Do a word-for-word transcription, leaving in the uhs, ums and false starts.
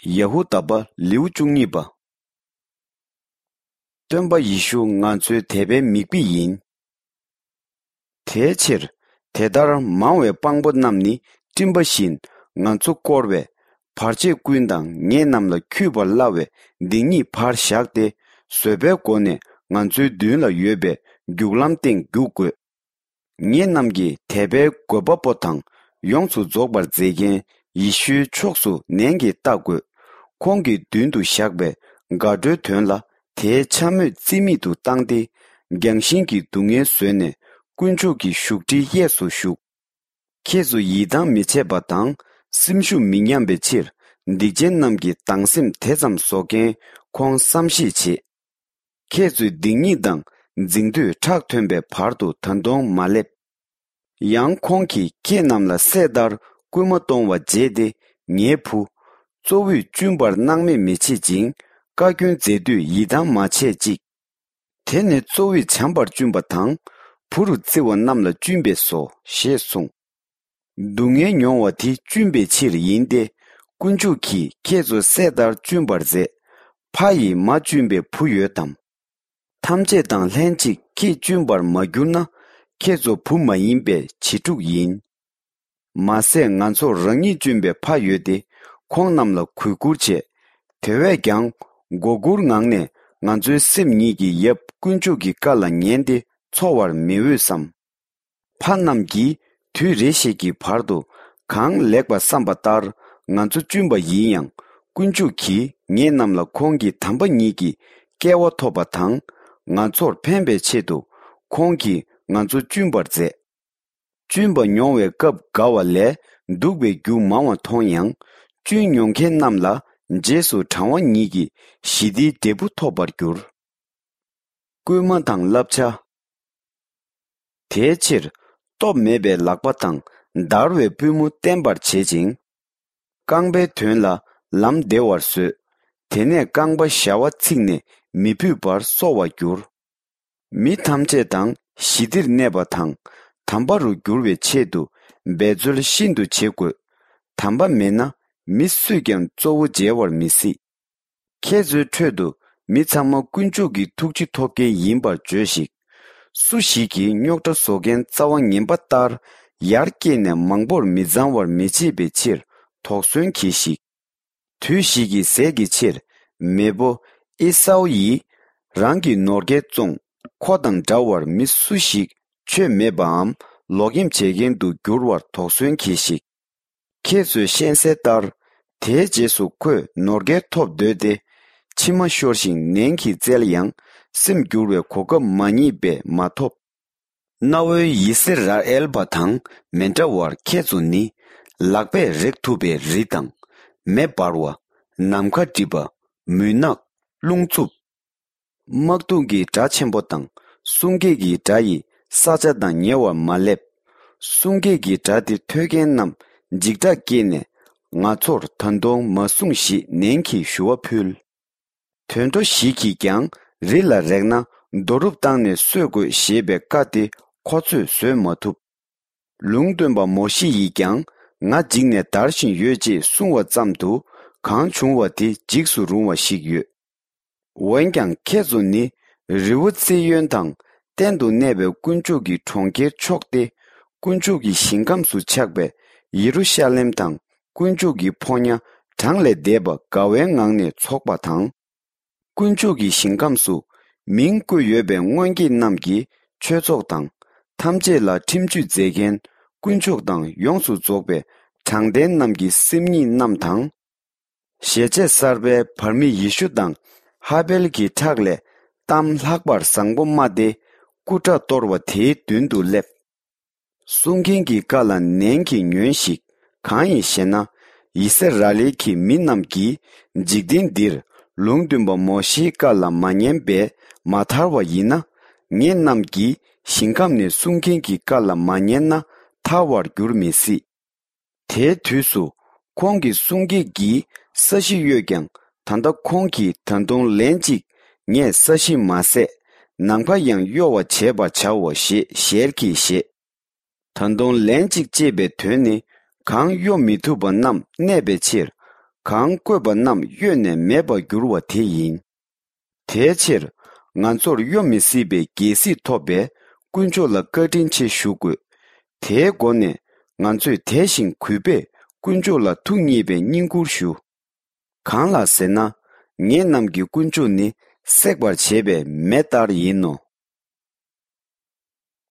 ཡ་ཧུ་དཱ་པ་ལེའུ་བཅུ་གཉིས་པ། སྟོན་པ་ཡེ་ཤུ་ང་ཚོའི་དད་པའི་མིག་དཔེ་ཡིན། དེའི་ཕྱིར། དེ་ལྟར་མང་བའི་དཔང་པོ་རྣམས་ནི་སྤྲིན་པ་བཞིན་ང་ཚོ་བསྐོར་བས། བར་ཆད་ཀུན་དང་ངེད་རྣམས་ལ་འཁྱུད་པར་སླ་བའི་སྡིག་ཉེས་ཕར་བཞག་སྟེ། བཟོད་པའི་སྒོ་ནས་ང་ཚོའི་མདུན་ལ་ཡོད་པའི་རྒྱུག་ལམ་སྟེང་རྒྱུག་དགོས། ངེད་རྣམས་ཀྱི་དད་པའི་དགོས་པ་པོ་དང་ཡོངས་སུ་རྫོགས་པར་མཛད་མཁན་ཡེ་ཤུའི་ཕྱོགས་སུ་ནན་གྱིས་ལྟ་དགོས། ཁོང་གི་མདུན་དུ་བཞག་པའི་དགའ་སྤྲོའི་དོན་ལ་དེའི་འཕྱ་སྨོད་རྩིས་མེད་དུ་བཏང་སྟེ། རྒྱང་ཤིང་གི་སྡུག་བསྔལ་བཟོད་ནས་དཀོན་མཆོག་གི་བཞུགས་ཁྲིའི་གཡས་སུ་བཞུགས། ཁྱེད་ཚོ་ཡིད་ཐང་མི་ཆད་པ་དང་སེམས་ཤུགས་མི་ཉམས་པའི་ཕྱིར། སྡིག་ཅན་རྣམས་ཀྱི་སྡང་སེམས་དེ་ཙམ་གསོ་མཁན་ཁོང་བསམ་ཤེས་བྱེད། ཁྱེད་ཚོའི་སྡིག་ཉེས་དང་འཛིང་དུས་ཁྲག་ཐོན་པའི་བར་དུ་ད་དུང་མ་སླེབས། ཡང་ཁོང་གིས་ཁྱེད་རྣམས་ལ་སྲས་ལྟར་སྐུལ་མ་གཏོང་བ་བརྗེད་དེ། ངའི་བུ། གཙོ་བོས་བཅུན་པར་སྣང་མེད་མི་བྱེད་ཅིང་། བཀའ་བཀྱོན་མཛད་དུས་ཡིད་ཐང་མ་ཆད་ཅིག། དེ་ནི་གཙོ་བོས་བྱམས་པར་བཅུན་པ་དང་། བུ་རུ་བརྩི་བ་རྣམས་ལ་བཅུན་པས་སོ། ཞེས་གསུངས། སྡུག་བསྔལ་མྱོང་བ་དེ་བཅུན་པའི་ཕྱིར་ཡིན་ཏེ། དཀོན་མཆོག་གིས་ཁྱེད་ཚོ་སྲས་ལྟར་བཅུན་པར་མཛད། ཕ་ཡིས་མ་བཅུན་པའི་བུ་ཡོད་དམ། ཐམས་ཅད་དང་ལྷན་ཅིག་ཁྱེད་བཅུན་པར་མ་གྱུར་ན། ཁྱེད་ཚོ་བུ་མ་ཡིན་པའི་བྱི་ཕྲུག་ཡིན། མ་ཟད་ང་ཚོར་རང་ཉིད་བཅུན་པའི་ཕ་ཡོད་དེ། ཁོང་རྣམས་ལ་གུས་བཀུར་བྱེད། དེ་བས་ཀྱང་། མགོ་སྒུར་ངང་ནས་ང་ཚོའི་སེམས་ཉིད་ཀྱི་ཡབ་དཀོན་མཆོག་གི་བཀའ་ལ་ཉན་ཏེ་འཚོ་བར་མི་འོས་སམ། ཕ་རྣམས་ཀྱིས་དུས་རེ་ཞིག་གི་བར་དུ་གང་ལེགས་པ་བསམ་པ་ལྟར་ང་ཚོ་བཅུན་པ་ཡིན་ཡང་། དཀོན་མཆོག་གིས་ངེད་རྣམས་ལ་ཁོང་གི་དམ་པ་ཉིད་ཀྱི་སྐལ་བ་ཐོབ་པ་དང་། ང་ཚོར་ཕན་པའི་ཆེད་དུ་ཁོང་གིས་ང་ཚོ་བཅུན་པར་མཛད། བཅུན་པ་མྱོང་བའི་སྐབས་དགའ་བ་ལས་སྡུག་པའི་རྒྱུ་མང་བ་མཐོང་ཡང་། བཅུན་མྱོང་མཁན་རྣམས་ལ་རྗེས་སུ་དྲང་བ་ཉིད་ཀྱི་ཞི་བདེའི་འབྲས་བུ་ཐོབ་པར་འགྱུར། སྐུལ་མ་དང་བསླབ་བྱ། དེའི་ཕྱིར། སྟོབས་མེད་པའི་ལག་པ་དང་འདར་བའི་པུས་མོ་བརྟན་པར་བྱེད་ཅིང་། རྐང་པའི་དོན་ལ་ལམ་བདེ་བར་བཟོས། དེ་ནས་རྐང་པ་ཞ་བ་ཚིག་ནས་མི་ཕུད་པར་གསོ་བར་འགྱུར། མི་ཐམས་ཅད་དང་ཞི་བདེར་གནས་པ་དང་། དམ་པ་རུ་འགྱུར་བའི་ཆེད་དུ་འབད་རྩོལ་ཤིན་ཏུ་བྱེད་དགོས། དམ་པ་མེད་ན་མི་སུས་ཀྱང་གཙོ་བོ་མཇལ་བར་མི་སྲིད། ཁྱེད་ཚོའི་ཁྲོད་དུ་མི་ཚང་མ་དཀོན་མཆོག་གི་ཐུགས་རྗེ་ཐོབ་མཁན་ཡིན་པར་བརྗོད་ཞིག། སུ་ཞིག་གིས་རྙོག་དྲ་བཟོ་མཁན་རྩ་བ་ངན་པ་ལྟར་ཡར་སྐྱེས་ནས་མང་པོར་མི་གཙང་བར་མི་བྱེད་པའི་ཕྱིར་དོགས་ཟོན་གྱིས་ཤིག། དུས་ཤིག་གི་ཟས་ཀྱི་ཕྱིར་མེས་པོ་ཨེ་སའུ་ཡིས་རང་གི་ནོར་སྐལ་བཙོང་། ཁོ་དང་འདྲ་བར་མི་སུ་ཞིག་ཆོས་མེད་པའམ་ལོག་གཡེམ་བྱེད་མཁན་དུ་འགྱུར་བར་དོགས་ཟོན་གྱིས་ཤིག། ཁྱེད་ཚོས་ཤེས་གསལ་ལྟར། དེའི་རྗེས་སུ་ཁོས་ནོར་སྐལ་ཐོབ་འདོད་དེ། མཆི་མ་ཤོར་ཞིང་ནན་གྱིས་བཙལ་ཡང་། སེམས་འགྱུར་བའི་གོ་སྐབས་མ་རྙེད་པས་མ་ཐོབ། གནའ་བོའི་ཡི་སི་ར་ཨེལ་པ་དང་མི་འདྲ་བར་ཁྱེད་ཚོ་ནི། ལག་པས་རེག་ཐུབ་པའི་རི་དང་། མེ་འབར་བ། ནམ་མཁའ་སྒྲིབ་པ། མུན་ནག། རླུང་འཚུབ། དམག་དུང་གི་སྒྲ་ཆེན་པོ་དང་། གསུང་སྐད་ཀྱི་སྒྲ་ཡིས་ས་ཆ་དང་ཉེ་བར་མ་སླེབས། གསུང་སྐད་ཀྱི་སྒྲ་དེ་ཐོས་མཁན་རྣམས་འཇིགས་སྐྲག་སྐྱེས་ནས། ང་ཚོར་ད་དུང་མ་གསུངས་ཞེས་ནན་གྱིས་ཞུ་བ་ཕུལ། དུད་འགྲོ་ཞིག་གིས་ཀྱང་རི་ལ་རེག་ན་རྡོ་རུབ་བཏང་ནས་གསོད་དགོས་ཞེས་པའི་བཀའ་དེ་ཁོ་ཚོས་བཟོད་མ་ཐུབ། ལུང་སྟོན་པ་མོ་ཤེ་ཡིས་ཀྱང་ང་འཇིགས་ནས་འདར་བཞིན་ཡོད་ཅེས་གསུང་བ་ཙམ་དུ་གང་བྱུང་བ་དེ་འཇིགས་སུ་རུང་བ་ཞིག་ཡོད། འོན་ཀྱང་ཁྱེད་ཚོ་ནི་རི་བོ་ཙི་ཡོན་དང་གཏན་དུ་གནས་པའི་དཀོན་མཆོག་གི་གྲོང་ཁྱེར་མཆོག་སྟེ། དཀོན་མཆོག་གི་ཞིང་ཁམས་སུ་ཆགས་པའི་ཡེ་རུ་ཤ་ལེམ་དང་། དཀོན་མཆོག་གི་ཕོ་ཉ་གྲངས་ལས་འདས་པ་དགའ་བའི་ངང་ནས་འཚོགས་པ་དང་། དཀོན་མཆོག་གི་ཞིང་ཁམས་སུ་མིང་བཀོད་ཡོད་པའི་སྔོན་སྐྱེས་རྣམས་ཀྱི་ཆོས་ཚོགས་དང་། ཐམས་ཅད་ལ་ཁྲིམས་གཅོད་མཛད་མཁན་དཀོན་མཆོག་དང་ཡོངས་སུ་རྫོགས་པའི་དྲང་བདེན་རྣམས་ཀྱི་སེམས་ཉིད་རྣམས་དང་། ཞལ་ཆད་གསར་པའི་བར་མི་ཡེ་ཤུ་དང་ཧ་བེལ་གྱི་ཁྲག་ལས་གཏམ་ལྷག་པར་བཟང་པོ་སྨྲ་སྟེ། སྐུ་དགྲ་གཏོར་བ་དེའི་མདུན་དུ་སླེབས། གསུང་མཁན་གྱི་བཀའ་ལ་ནན་གྱིས་ཉོན་ཞིག། གང་ཡིན་ཞེ་ན། ཡི་སི་ར་ཨེལ་གྱི་མི་རྣམས་ཀྱིས་འཇིག་རྟེན་འདིར་ལུང་སྟོན་པ་མོ་ཤེའི་བཀའ་ལ་མ་ཉན་པས་མ་ཐར་བ་ཡིན་ན། ངེད་རྣམས་ཀྱིས་ཞིང་ཁམས་ནས་གསུང་མཁན་གྱི་བཀའ་ལ་མ་ཉན་ན་ཐར་བར་འགྱུར་མི་སྲིད། དེའི་དུས་སུ་ཁོང་གི་གསུང་སྐད་ཀྱིས་ས་གཞི་གཡོས་ཀྱང་། ད་ལྟ་ཁོང་གིས་ད་དུང་ལན་གཅིག་ངས་ས་གཞི་མ་ཟད། ནམ་མཁའ་ཡང་གཡོ་བར་བྱེད་པར་བྱའོ་ཞེས་ཞལ་གྱིས་བཞེས། ད་དུང་ལན་གཅིག་ཅེས་པའི་དོན་ནི། གང་གཡོ་མི་ཐུབ་པ་རྣམས་གནས་པའི་ཕྱིར། གང་བསྐོས་པ་རྣམས་གཡོས་ནས་མེད་པར་འགྱུར་བ་དེ་ཡིན། དེའི་ཕྱིར། ང་ཚོར་གཡོ་མི་སྲིད་པའི་རྒྱལ་སྲིད་ཐོབ་པའི་དཀོན་མཆོག་ལ་བཀའ་དྲིན་ཆེ་ཞུ་དགོས། དེའི་སྒོ་ནས་ང་ཚོས་དད་ཞིང་གུས་པས་དཀོན་མཆོག་ལ་ཐུགས་མཉེས་པའི་བསྙེན་བཀུར་ཞུ། གང་ལགས་ཟེར་ན། ངེད་རྣམས་ཀྱི་དཀོན་མཆོག་ནི་སྲེག་པར་བྱེད་པའི་མེ་ལྟར་ཡིན་ནོ།